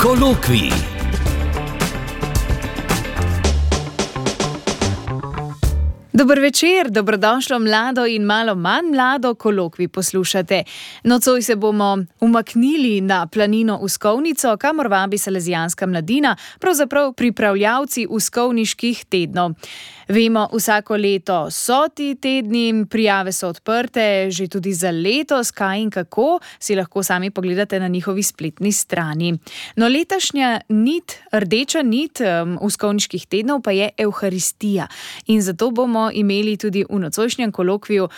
Kolokvij. Dober večer, dobrodošlo mlado in malo manj mlado, kolokvij poslušate. Nocoj se bomo umaknili na planino Uskovnico, kamor vabi salezijanska mladina, pravzaprav pripravljavci uskovniških tednov. Vemo, vsako leto so ti tedni, prijave so odprte, že tudi za letos, kaj in kako, si lahko sami pogledate na njihovi spletni strani. No, letošnja rdeča nit uskovniških tednov pa je Evharistija. In zato bomo imeli tudi v nocojšnjem kolokviju,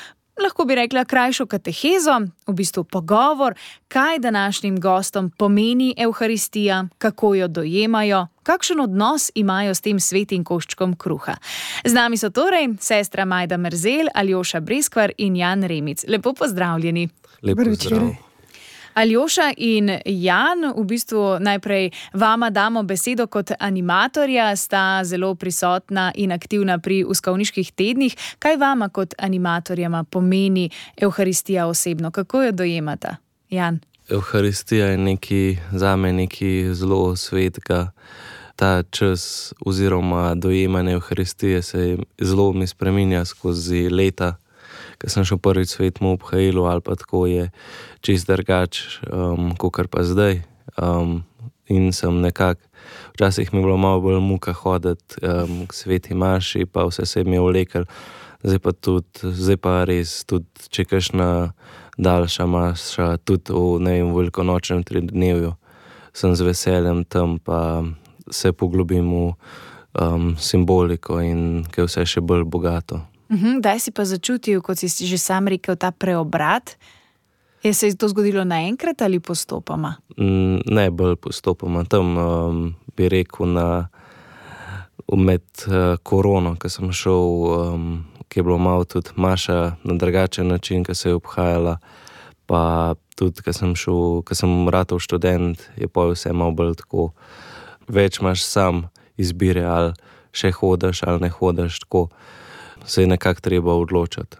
lahko bi rekla, krajšo katehezo, v bistvu pogovor, kaj današnjim gostom pomeni Evharistija, kako jo dojemajo, kakšen odnos imajo s tem svetim koščkom kruha. Z nami so torej sestra Majda Merzel, Aljoša Breskvar in Jan Remic. Lepo pozdravljeni. Lepo zdrav. Aljoša in Jan, v bistvu najprej vama damo besedo kot animatorja, sta zelo prisotna in aktivna pri uskovniških tednih. Kaj vama kot animatorjama pomeni Evharistija osebno? Kako jo dojemata? Jan? Evharistija je zame nekaj zelo svetega. Ta čas oziroma dojemanje Evharistije se zelo mi spreminja skozi leta. Ko sem šel prvič svetemu obhajilu ali pa tako, je čist drugač, kakor pa zdaj. In sem nekako, včasih mi je bilo malo bolj muka hoditi k sveti maši, pa vse se mi je vlekel. Zdaj pa res, tudi če kakšna daljša maša, tudi v velikonočnem tridnevju, sem z veseljem tam, pa se poglobim v simboliko in kaj vse še bolj bogato. Daj si pa začutil, kot si že sam rekel, ta preobrat. Je se to zgodilo naenkrat ali postopoma? Ne, bolj postopoma. Tam bi rekel med korono, ko sem šel, ki je bilo malo tudi maša na drugačen način, ko se je obhajala, pa tudi, ko sem ratal študent, je pa vse malo bolj tako. Več imaš sam izbire, ali še hodiš ali ne hodiš, tako se je nekako treba odločiti.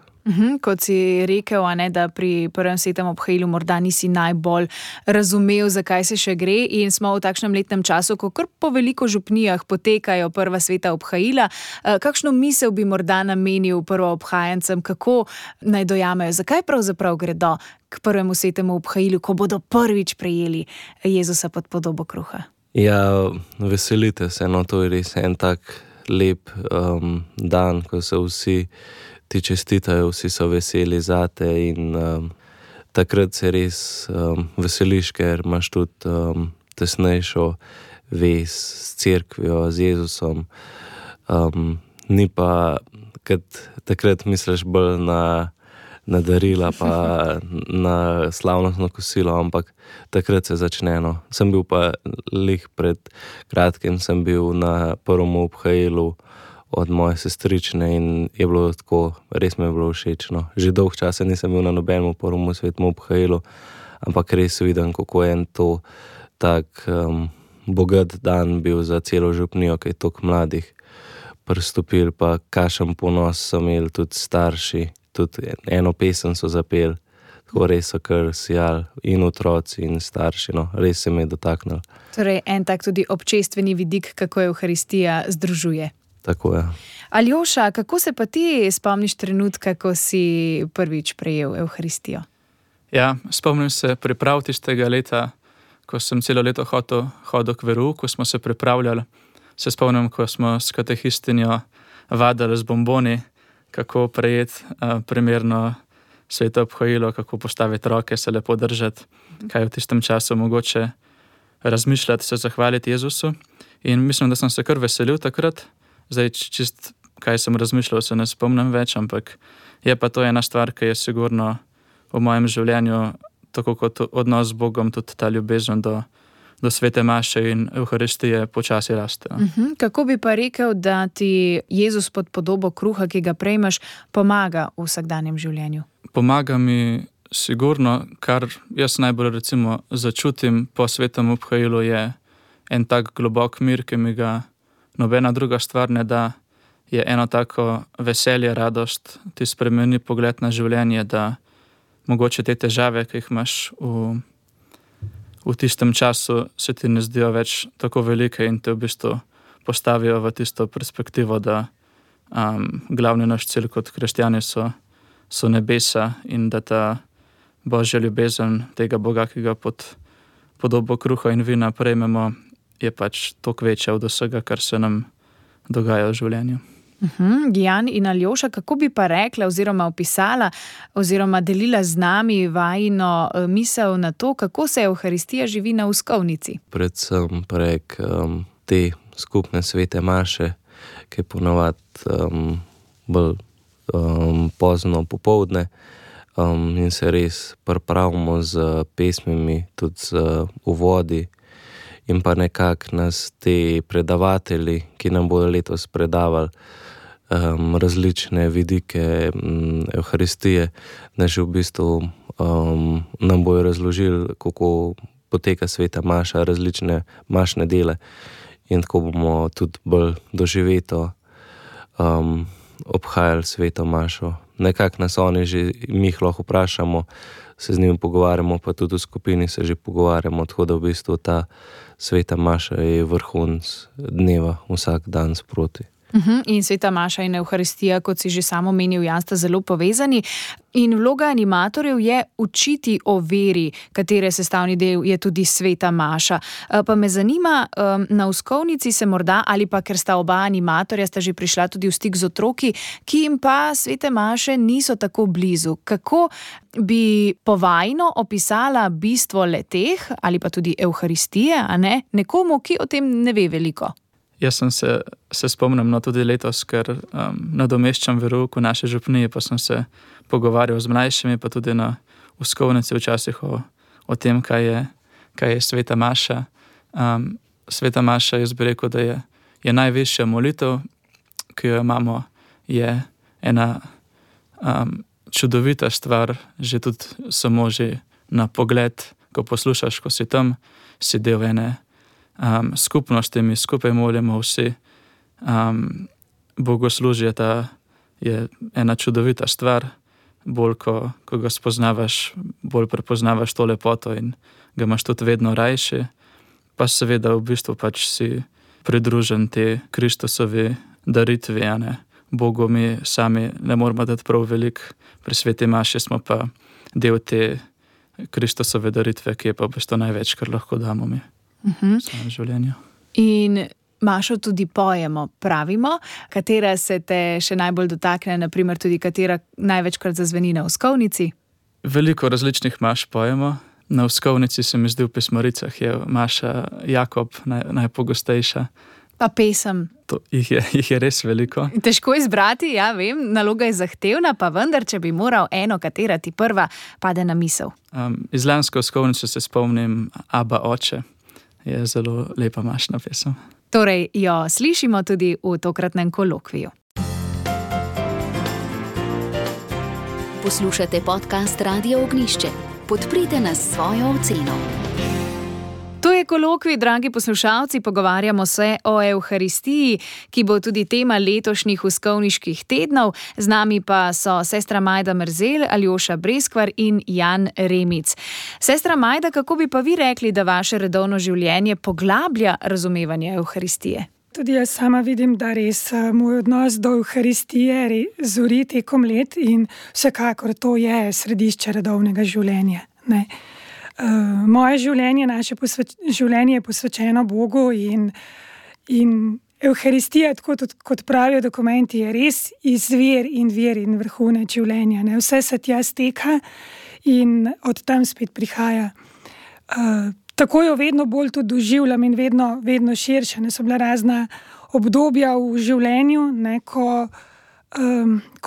Kot si rekel, da pri prvem svetem obhajilu morda nisi najbolj razumel, zakaj se še gre, in smo v takšnem letnem času, ko kar po veliko župnijah potekajo prva sveta obhajila. Kakšno misel bi morda namenil prvoobhajancem, kako naj dojamejo, zakaj pravzaprav gredo k prvemu svetemu obhajilu, ko bodo prvič prejeli Jezusa pod podobo kruha? Ja, veselite se, to je res en tak lep dan, ko se vsi ti čestitajo, vsi so veseli zate in takrat se res veseliš, ker imaš tudi tesnejšo vez s cerkvijo, z Jezusom. Ni pa, takrat misliš bolj na darila pa na slavnostno kosilo, ampak takrat se začne. Sem bil pa pred kratkim sem bil na prvem obhajilu od moje sestrične in je bilo tako, res mi je bilo všeč. Že dolg časa nisem bil na nobenem prvem svetemu obhajilu, ampak res vidim, kako je to tak bogat dan bil za celo župnijo, ki je toliko mladih pristopil, pa kakšen ponos so imeli tudi starši. Tudi eno pesem so zapeli, tako res so kar sijali, in otroci, in starši, res se mi je dotaknil. Torej, en tak tudi občestveni vidik, kako Evharistija združuje. Tako je. Aljoša, kako se pa ti spomniš trenutka, ko si prvič prejel Evharistijo? Ja, spomnim se priprav tistega leta, ko sem celo leto hodil k verouku, ko smo se pripravljali. Se spomnim, ko smo s katehistinjo vadili z bomboni, kako prejeti primerno sveto obhajilo, kako postaviti roke, se lepo držati, kaj v tistem času mogoče razmišljati, se zahvaliti Jezusu. In mislim, da sem se kar veselil takrat. Zdaj, čist kaj sem razmišljal, se ne spomnim več, ampak je pa to ena stvar, ki je sigurno v mojem življenju, tako kot odnos z Bogom, tudi ta ljubezen do svete maše in Evharistije počasi raste. Kako bi pa rekel, da ti Jezus pod podobo kruha, ki ga prejmeš, pomaga v vsakdanjem življenju? Pomaga mi sigurno, kar jaz najbolj recimo začutim po svetem obhajilu, je en tak globok mir, ki mi ga nobena druga stvar ne da. Je eno tako veselje, radost, ti spremeni pogled na življenje, da mogoče te težave, ki jih imaš v v tistem času se ti ne zdijo več tako velike in te v bistvu postavijo v tisto perspektivo, da glavni naš cilj kot kristjani so nebesa in da ta Božja ljubezen tega Boga, ki ga pod podobo kruha in vina prejmemo, je pač toliko večja od vsega, kar se nam dogaja v življenju. Jan in Aljoša, kako bi pa rekla oziroma opisala oziroma delila z nami vajino misel na to, kako se Evharistija živi na uskovnici? Predvsem prek te skupne svete maše, ki je ponavadi bolj pozno popoldne in se res pripravimo z pesmimi, tudi z uvodi in pa nekako nas te predavatelji, ki nam bodo letos predavali različne vidike Evharistije, da že v bistvu nam bojo razložili, kako poteka sveta maša, različne mašne dele in tako bomo tudi bolj doživeto obhajali sveto mašo. Nekako nas oni že, mi jih lahko vprašamo, se z njimi pogovarjamo, pa tudi v skupini se že pogovarjamo, tako da v bistvu ta sveta maša je vrhunec dneva vsak dan sproti. In sveta maša in Evharistija, kot si že samo omenil, Jan, sta zelo povezani. In vloga animatorjev je učiti o veri, katere sestavni del je tudi sveta maša. Pa me zanima, na uskovnici se morda, ali pa ker sta oba animatorja, sta že prišla tudi v stik z otroki, ki jim pa svete maše niso tako blizu. Kako bi povajno opisala bistvo leteh, ali pa tudi Evharistije, a ne, nekomu, ki o tem ne ve veliko? Jaz sem se spomnim tudi letos, ker nadomeščam verouk v naši župniji, pa sem se pogovarjal z mlajšimi, pa tudi na uskovnici včasih o tem, kaj je sveta maša. Sveta maša, jaz bi rekel, da je najvišja molitev, ki jo imamo, je ena čudovita stvar, že tudi samo že na pogled, ko poslušaš, ko si tam, si del ene skupnosti, mi skupaj molimo vsi. Bogoslužje je ena čudovita stvar, bolj ko ga spoznavaš, bolj prepoznavaš to lepoto in ga imaš tudi vedno rajši. Pa seveda v bistvu pač si pridružen te Kristusovi daritvi, a ne. Bogu mi sami ne moramo dati prav veliko, pri sveti maši smo pa del te Kristusove daritve, ki je pa v bistvu največ, kar lahko damo mi. V svojem življenju. In mašo tudi pojemo, pravimo, katera se te še najbolj dotakne, naprimer tudi katera največkrat zazveni na uskovnici? Veliko različnih maš pojemo. Na uskovnici se mi zdi v pismaricah je maša Jakob najpogostejša. Pa pesem. Jih je res veliko. Težko izbrati, ja vem, naloga je zahtevna, pa vendar, če bi moral eno, katera ti prva pade na misel. Iz lanske uskovnice se spomnim Aba oče. Je zelo lepa mašna pesem. Torej jo slišimo tudi v tokratnem kolokviju. Poslušate podcast Radio Ognjišče. Podprite nas s svojo oceno. To je kolokvij, dragi poslušalci, pogovarjamo se o Evharistiji, ki bo tudi tema letošnjih uskovniških tednov. Z nami pa so sestra Majda Merzel, Aljoša Breskvar in Jan Remic. Sestra Majda, kako bi pa vi rekli, da vaše redovno življenje poglablja razumevanje Evharistije? Tudi jaz sama vidim, da res moj odnos do Evharistije zori tekom let in vsekakor to je središče redovnega življenja, ne. Moje življenje, naše življenje je posvečeno Bogu in Evharistija, tako kot pravijo dokumenti, je res izvir in vrhunec življenja. Ne? Vse se tja steka in od tam spet prihaja. Tako jo vedno bolj tudi doživljam in vedno širše. Ne so bila razna obdobja v življenju, ne? Ko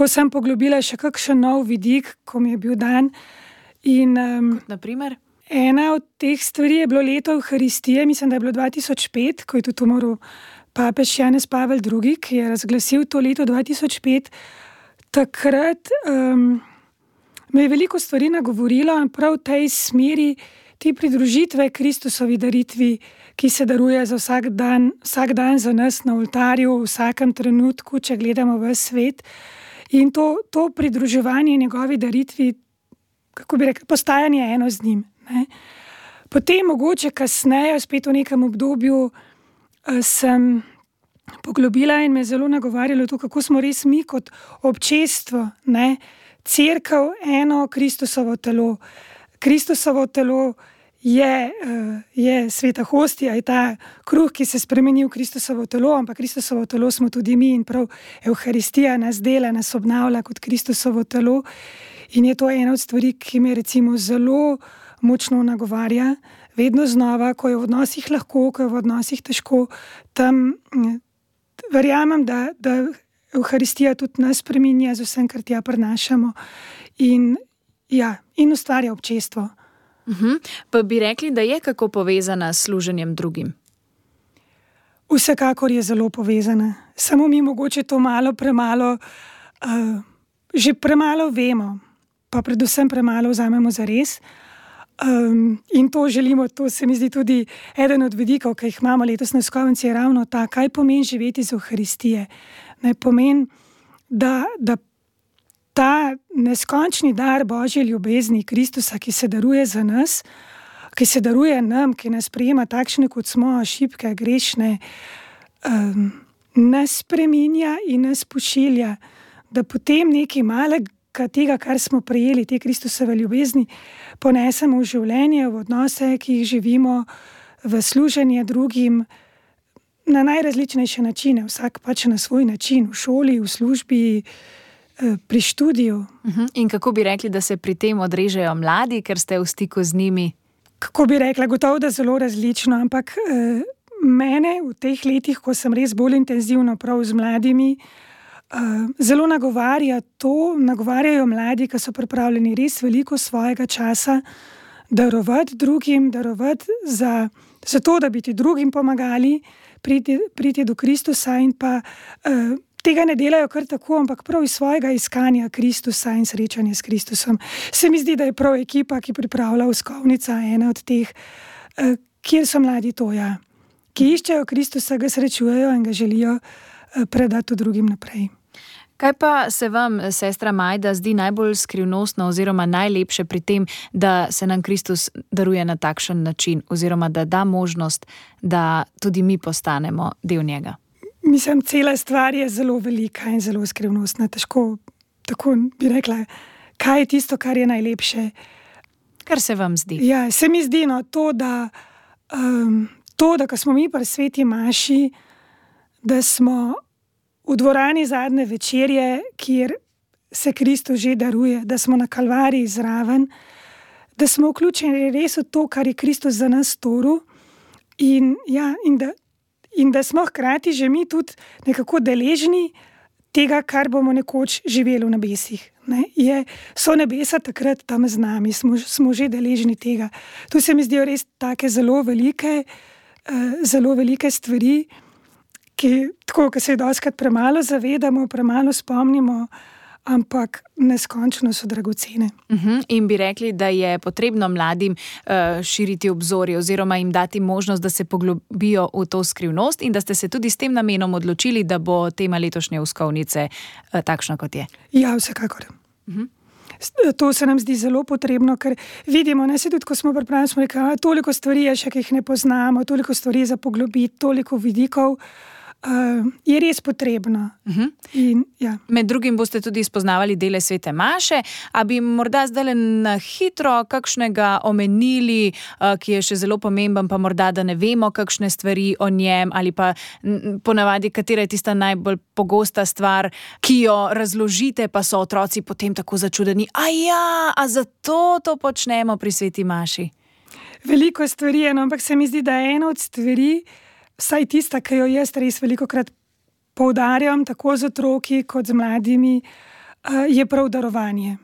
sem poglobila še kakšen nov vidik, ko mi je bil dan. Kot naprimer? Ena od teh stvari je bilo leto Evharistije, mislim, da je bilo 2005, ko je tudi umrl papež Janez Pavel II, ki je razglasil to leto 2005. Takrat me je veliko stvari nagovorilo in prav v tej smeri te pridružitve Kristusovi daritvi, ki se daruje za vsak dan za nas na oltarju, v vsakem trenutku, če gledamo v svet. In to pridruževanje njegovi daritvi, kako bi rekel, postajanje eno z njim. Ne? Potem mogoče kasneje, spet v nekem obdobju, sem poglobila in me zelo nagovarjalo to, kako smo res mi kot občestvo, ne, Cerkev, eno Kristusovo telo. Kristusovo telo je sveta hostija, je ta kruh, ki se spremeni v Kristusovo telo, ampak Kristusovo telo smo tudi mi in prav Evharistija nas dela, nas obnavlja kot Kristusovo telo. In je to ena od stvari, ki me recimo zelo močno nagovarja, vedno znova, ko je v odnosih lahko, ko je v odnosih težko, tam verjamem, da Evharistija tudi nas spreminja z vsem, kar tja prinašamo in ustvarja občestvo. Pa bi rekli, da je kako povezana s služenjem drugim? Vsekakor je zelo povezana. Samo mi mogoče to premalo, že premalo vemo, pa predvsem premalo vzamemo za res. In to želimo, to se mi zdi tudi eden od vidikov, ki jih imamo letos na Skovnici, je ravno ta, kaj pomeni živeti z Evharistije. Ne pomeni, da ta neskončni dar Božje ljubezni Kristusa, ki se daruje za nas, ki se daruje nam, ki nas sprejema takšne, kot smo, šibke, grešne, nas spreminja in nas pošilja, da potem nekaj malega tega, kar smo prejeli, te Kristusove ljubezni, ponesemo v življenje, v odnose, ki jih živimo, v služenje drugim, na najrazličnejše načine, vsak pač na svoj način, v šoli, v službi, pri študiju. In kako bi rekli, da se pri tem odrežejo mladi, ker ste v stiku z njimi? Kako bi rekla, gotovo, da zelo različno, ampak mene v teh letih, ko sem res bolj intenzivno prav z mladimi, zelo nagovarjajo mladi, ki so pripravljeni res veliko svojega časa darovati drugim, darovati za to, da bi ti drugim pomagali priti do Kristusa in pa tega ne delajo kar tako, ampak prav iz svojega iskanja Kristusa in srečanja s Kristusom. Se mi zdi, da je prav ekipa, ki pripravlja Skovnica, ena od teh, kjer so mladi ki iščejo Kristusa, ga srečujejo in ga želijo predati drugim naprej. Kaj pa se vam, sestra Majda, zdi najbolj skrivnostno oziroma najlepše pri tem, da se nam Kristus daruje na takšen način oziroma da da možnost, da tudi mi postanemo del njega? Mislim, cela stvar je zelo velika in zelo skrivnostna. Težko tako bi rekla, kaj je tisto, kar je najlepše. Kar se vam zdi? Ja, se mi zdi to, da ko smo mi pri sveti maši, da smo v dvorani zadnje večerje, kjer se Kristus že daruje, da smo na Kalvariji zraven, da smo vključeni res v to, kar je Kristus za nas storil in da smo hkrati že mi tudi nekako deležni tega, kar bomo nekoč živeli v nebesih. So nebesa takrat tam z nami, smo že deležni tega. Tu se mi zdijo res take zelo velike stvari, ki se jih dostikrat premalo zavedamo, premalo spomnimo, ampak neskončno so dragocene. In bi rekli, da je potrebno mladim širiti obzorje oziroma jim dati možnost, da se poglobijo v to skrivnost in da ste se tudi s tem namenom odločili, da bo tema letošnje Skovnice takšna, kot je. Ja, vsekakor. To se nam zdi zelo potrebno, ker vidimo, se tudi, ko smo pripravljeni, smo rekli, toliko stvari je še, ki jih ne poznamo, toliko stvari za poglobiti, toliko vidikov, je res potrebno. Med drugim boste tudi spoznavali dele svete maše, a bi morda zdaj na hitro kakšnega omenili, ki je še zelo pomemben, pa morda, da ne vemo kakšne stvari o njem, ali pa ponavadi, katera je tista najbolj pogosta stvar, ki jo razložite, pa so otroci potem tako začudeni. A zato to počnemo pri sveti maši? Veliko stvari je, ampak se mi zdi, da je ena od stvari, vsaj tista, ki jo jaz res velikokrat poudarjam, tako z otroki kot z mladimi, je prav darovanje.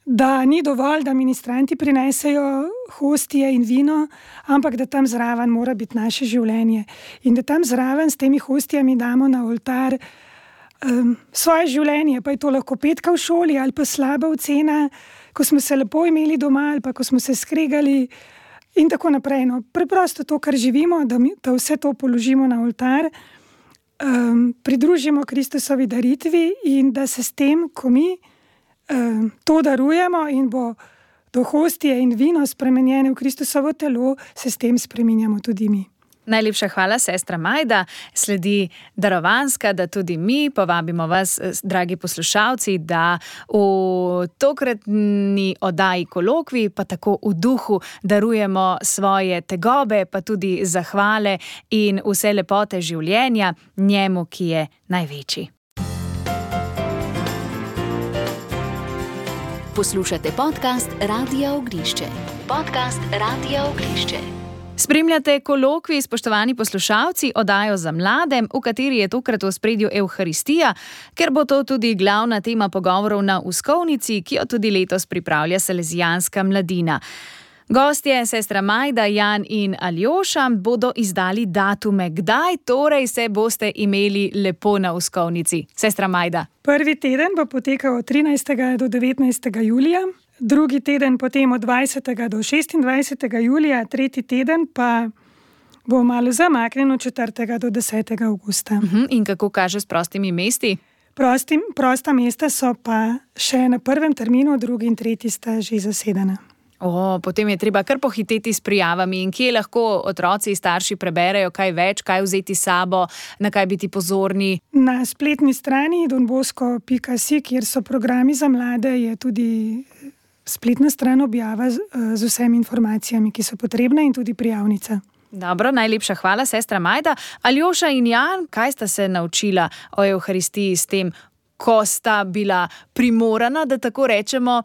Da ni dovolj, da ministranti prinesejo hostije in vino, ampak da tam zraven mora biti naše življenje. In da tam zraven s temi hostijami damo na oltar svoje življenje, pa je to lahko petka v šoli ali pa slaba ocena, ko smo se lepo imeli doma ali pa ko smo se skregali, in tako naprej. Preprosto to, kar živimo, da vse to položimo na oltar, pridružimo Kristusovi daritvi in da se s tem, ko mi to darujemo in bo do hostije in vino spremenjene v Kristusovo telo, se s tem spreminjamo tudi mi. Najlepša hvala, sestra Majda. Sledi darovanska, da tudi mi povabimo vas, dragi poslušalci, da v tokratni oddaji Kolokvij, pa tako v duhu, darujemo svoje tegobe, pa tudi zahvale in vse lepote življenja njemu, ki je največji. Poslušate podcast Radia Ognišče. Podcast Radia Ognišče. Spremljate Kolokvij, spoštovani poslušalci, oddajo za mlade, v kateri je tokrat v ospredju Evharistija, ker bo to tudi glavna tema pogovorov na Uskovnici, ki jo tudi letos pripravlja Salezijanska mladina. Gostje, sestra Majda, Jan in Aljoša, bodo izdali datume. Kdaj torej se boste imeli lepo na Uskovnici? Sestra Majda. Prvi teden bo potekal od 13. do 19. julija. Drugi teden potem od 20. do 26. julija, tretji teden pa bo malo zamaknjen od 4. do 10. avgusta. In kako kaže s prostimi mesti? Prosta mesta so pa še na prvem terminu, drugi in tretji sta že zasedena. Potem je treba kar pohiteti s prijavami. In kje lahko otroci in starši preberejo kaj več, kaj vzeti s sabo, na kaj biti pozorni? Na spletni strani donbosco.si, kjer so programi za mlade, je tudi spletna stran objava z vsemi informacijami, ki so potrebne, in tudi prijavnica. Dobro, najlepša hvala, sestra Majda. Aljoša in Jan, kaj sta se naučila o Evharistiji s tem, ko sta bila primorana, da tako rečemo,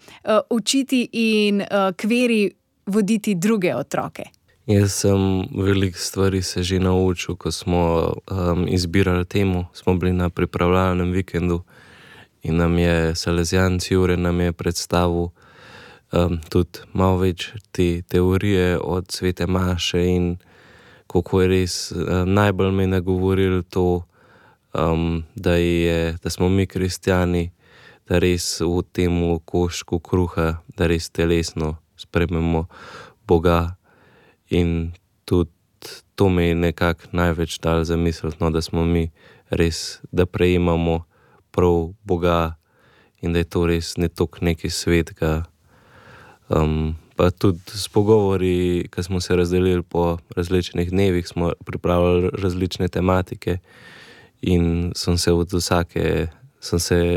učiti in k veri voditi druge otroke? Jaz sem veliko stvari se že naučil, ko smo izbirali temo. Smo bili na pripravljalnem vikendu in nam je Salezijanc Jure predstavil tudi malo več te teorije od svete maše in kako je res najbolj me nagovoril to, da smo mi kristjani, da res v tem koščku kruha, da res telesno sprejmemo Boga, in tudi to me je nekako največ dal zamisliti, da smo mi res, da prejemamo prav Boga in da je to res ne toliko nekaj svetega. Pa tudi s pogovori, ko smo se razdelili po različnih dnevih, smo pripravili različne tematike in sem se od vsake,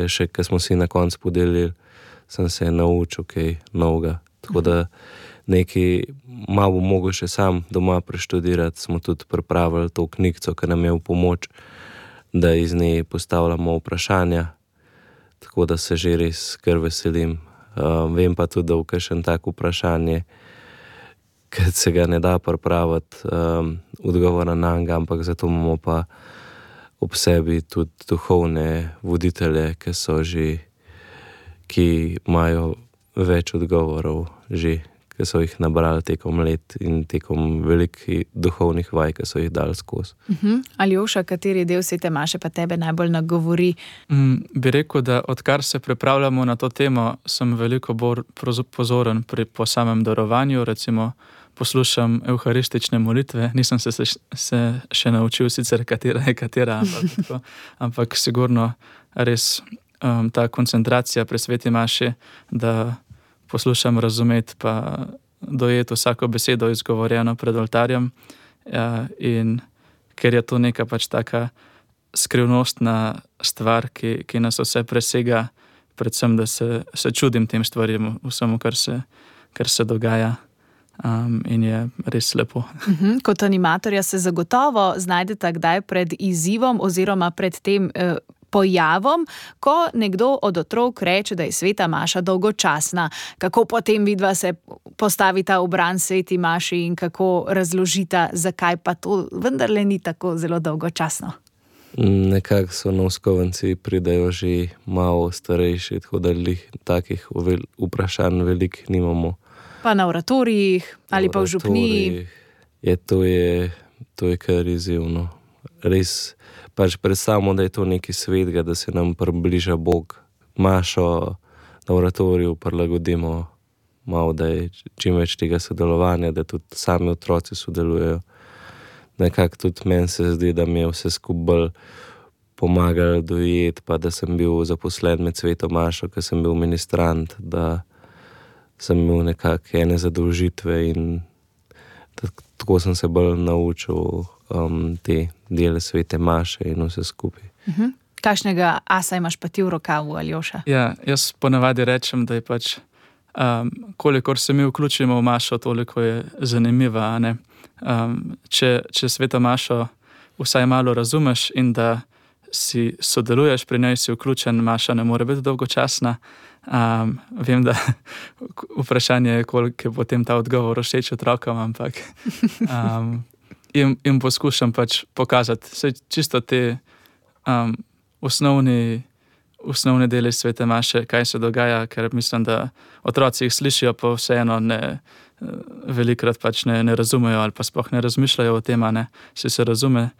še ko smo si na koncu podelili, sem se naučil kaj novega. Tako da nekaj malo bom mogel še sam doma preštudirati. Smo tudi pripravili to knjigico, ki nam je v pomoč, da iz nje postavljamo vprašanja, tako da se že res kar veselim. Vem pa tudi, da v kakšen tak vprašanje, ker se ga ne da pripraviti odgovora na njega, ampak zato imamo pa ob sebi tudi duhovne voditelje, ki imajo več odgovorov že, ki so jih nabrali tekom let in tekom velikih duhovnih vaj, ki so jih dali skozi. Aljoša, kateri del svete maše pa tebe najbolj nagovori? Bi rekel, da odkar se pripravljamo na to temo, sem veliko bolj pozoren po samem darovanju. Recimo poslušam evharistične molitve, nisem se še naučil sicer katera je katera, ampak sigurno res ta koncentracija pri sveti maši, da poslušam, razumeti pa dojeti vsako besedo izgovorjeno pred oltarjem, in ker je to neka pač taka skrivnostna stvar, ki nas vse presega, predvsem, da se čudim tem stvarjem, vsemu, kar se dogaja, in je res lepo. Kot animatorja se zagotovo znajdete kdaj pred izzivom oziroma pred tem pojavom, ko nekdo od otrok reče, da je sveta maša dolgočasna. Kako potem vidva se postavita v bran sveti maši in kako razložita, zakaj pa to vendarle ni tako zelo dolgočasno? Nekako so na Uskovnici pridejo že malo starejši, tako da takih vprašanj veliko nimamo. Pa na oratorijih ali pa v župniji? To je kar izzivno. Res pač predstavimo, da je to nekaj svetega, da se nam približa Bog. Mašo na oratoriju prilagodimo malo, da je čim več tega sodelovanja, da tudi sami otroci sodelujejo. Nekako tudi meni se zdi, da mi je vse skupaj bolj pomagalo dojeti, pa da sem bil zaposlen med sveto mašo, ker sem bil ministrant, da sem imel nekako ene zadolžitve in tako sem se bolj naučil te dele svete maše in vse skupaj. Kakšnega asa imaš pa ti v rokavu, Aljoša? Ja, jaz ponavadi rečem, da je pač, kolikor se mi vključimo v mašo, toliko je zanimiva, a ne? Če sveto mašo vsaj malo razumeš in da si sodeluješ pri njej, si vključen, maša ne more biti dolgočasna. Vem, da vprašanje je, koliko je potem ta odgovor všeč otrokom, ampak jim poskušam pač pokazati vse čisto te osnovne dele svete maše, kaj se dogaja, ker mislim, da otroci jih slišijo, pa vseeno velikrat pač ne razumejo ali pa sploh ne razmišljajo o tem, ne, se razume.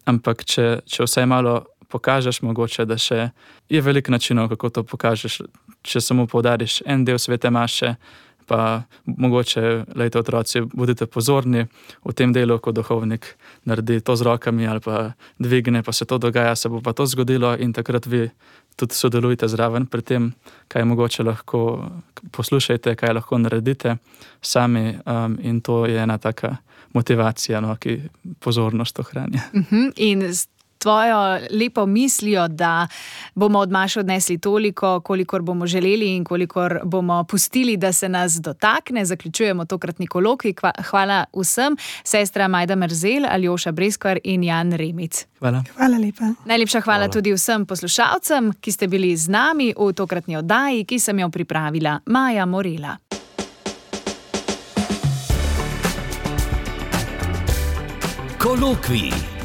Ampak če vsaj malo pokažeš, mogoče, da še je veliko načinov, kako to pokažeš. Če samo poudariš en del svete maše, pa mogoče, lejte otroci, bodite pozorni v tem delu, ko duhovnik naredi to z rokami ali pa dvigne, pa se to dogaja, se bo pa to zgodilo in takrat vi tudi sodelujte zraven pri tem, kaj mogoče lahko poslušajte, kaj lahko naredite sami in to je ena taka motivacija, no, ki pozornost ohranja. In s tvojo lepo mislijo, da bomo od maše odnesli toliko, kolikor bomo želeli in kolikor bomo pustili, da se nas dotakne, zaključujemo tokratni kolokvij. Hvala vsem, sestra Majda Merzel, Aljoša Breskvar in Jan Remic. Hvala. Hvala lepa. Najlepša hvala tudi vsem poslušalcem, ki ste bili z nami v tokratni oddaji, ki sem jo pripravila Maja Morela. Kolokvij.